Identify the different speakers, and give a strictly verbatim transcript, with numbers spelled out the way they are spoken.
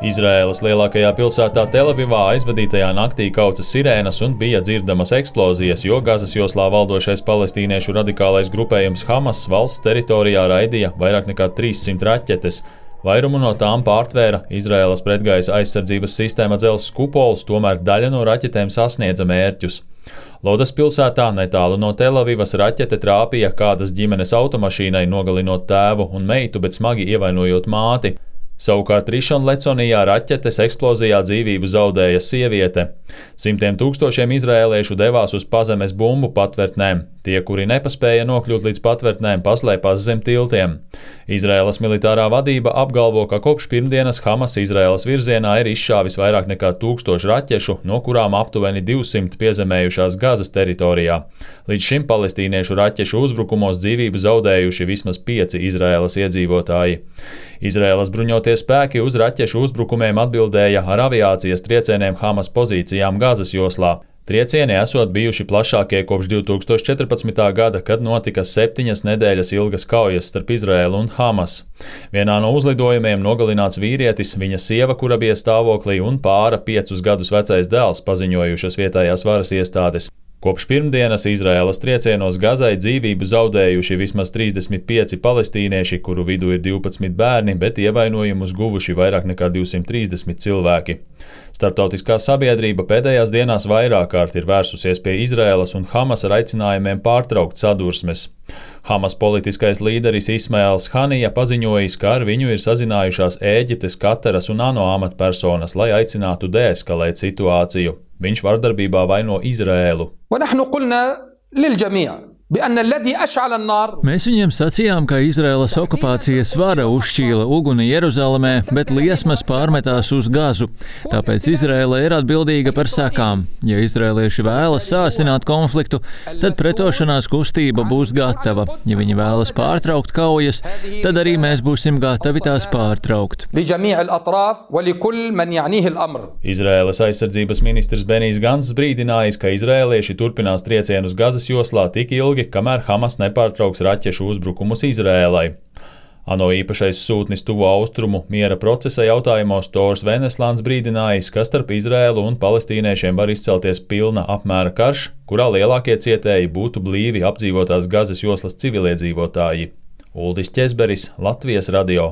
Speaker 1: Izraēlas lielākajā pilsētā Telavivā aizvadītajā naktī kauca sirēnas un bija dzirdamas eksplozijas, jo Gazas joslā valdošais palestīniešu radikālais grupējums Hamas valsts teritorijā raidīja vairāk nekā trīssimt raķetes. Vairumu no tām pārtvēra Izraēlas pretgaisa aizsardzības sistēma dzelzs kupols, tomēr daļa no raķetēm sasniedza mērķus. Lodas pilsētā netālu no Telavivas raķete trāpīja kādas ģimenes automašīnai, nogalinot tēvu un meitu, bet smagi ievainojot māti. Savukārt Rišon Leconijā raķetes eksplozijā dzīvību zaudēja sieviete. Simtiem tūkstošiem izraēliešu devās uz pazemes bumbu patvērtnēm. Tie, kuri nepaspēja nokļūt līdz patvērtnēm, paslēpās zem tiltiem. Izraēlas militārā vadība apgalvo, ka kopš pirmdienas Hamas Izraēlas virzienā ir izšāvis vairāk nekā tūkstošu raķešu, no kurām aptuveni divsimt piezemējušās Gazas teritorijā. Līdz šim palestīniešu raķešu uzbrukumos dzīvību zaudējuši vismaz pieci Izraēlas iedzīvotāji. Izraēlas bruņoties spēki uz raķešu uzbrukumiem atbildēja ar aviācijas triecieniem Hamas pozīcijām Gazas joslā. Triecieni esot bijuši plašākie kopš divi tūkstoši četrpadsmitā gada, kad notika septiņas nedēļas ilgas kaujas starp Izraēlu un Hamas. Vienā no uzlidojumiem nogalināts vīrietis, viņa sieva, kura bija stāvoklī, un pāra piecus gadus vecais dēls, paziņojušas vietējās varas iestādes. Kopš pirmdienas Izraēlas triecienos Gazai dzīvību zaudējuši vismaz trīsdesmit pieci palestīnieši, kuru vidū ir divpadsmit bērni, bet ievainojumus guvuši vairāk nekā divsimt trīsdesmit cilvēki. Starptautiskā sabiedrība pēdējās dienās vairāk kārt ir vērsusies pie Izraēlas un Hamas ar aicinājumiem pārtraukt sadursmes. Hamas politiskais līderis Ismails Hanija paziņojis, ka ar viņu ir sazinājušās Ēģiptes, Kataras un ANO amatpersonas, lai aicinātu deeskalēt situāciju. Viņš vardarbībā vaino Izraēlu.
Speaker 2: Mēs viņiem sacījām, ka Izraēlas okupācijas vara uzšķīla uguni Jeruzalemē, bet liesmas pārmetās uz Gazu. Tāpēc Izraēla ir atbildīga par sekām. Ja izraēlieši vēlas sāsināt konfliktu, tad pretošanās kustība būs gatava. Ja viņi vēlas pārtraukt kaujas, tad arī mēs būsim gatavi tās pārtraukt.
Speaker 1: Izraēlas aizsardzības ministrs Benijs Ganss brīdinājis, ka izraēlieši turpinās triecienus Gazas joslā tik ilgi, kamēr Hamas nepārtrauks raķešu uzbrukumus Izraēlai. ANO īpašais sūtnis Tuvo Austrumu miera procesa jautājumos Tors Veneslāns brīdinājis, ka starp Izraēlu un palestīniešiem var izcelties pilna apmēra karš, kurā lielākie cietēji būtu blīvi apdzīvotās Gazas joslas civiliedzīvotāji. Uldis Ķezberis, Latvijas radio.